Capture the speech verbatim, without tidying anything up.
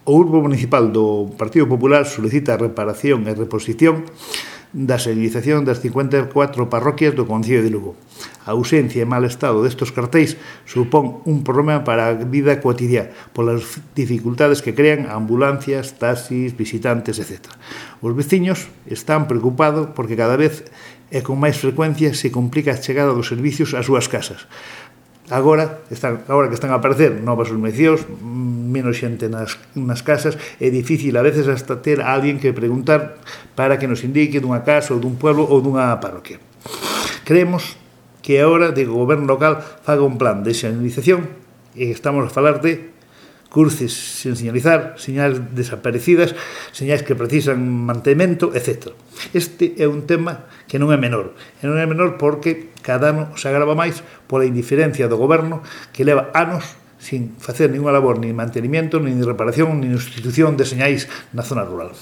O Grupo Municipal do Partido Popular solicita a reparación e reposición da señalización das cincuenta e catro parroquias do Concello de Lugo. A ausencia e mal estado destes cartéis supón un problema para a vida cotidiana polas dificultades que crean ambulancias, taxis, visitantes, etcétera. Os veciños están preocupados porque cada vez e con máis frecuencia se complica a chegada dos servicios ás súas casas. Agora, están, agora que están a aparecer novas urmenizacións, menos xente nas, nas casas, é difícil a veces hasta ter a alguén que preguntar para que nos indique dunha casa ou dun pueblo ou dunha parroquia. Creemos que é hora de que o goberno local faga un plan de señalización e estamos a falar de cruces sen señalizar, señais desaparecidas, señais que precisan mantemento, etcétera. Este é un tema que non é menor. E non é menor porque cada ano se agrava máis pola indiferencia do goberno que leva anos sin facer ninguna labor, ni de mantenimiento, ni de reparación, ni de institución de señais na zona rural.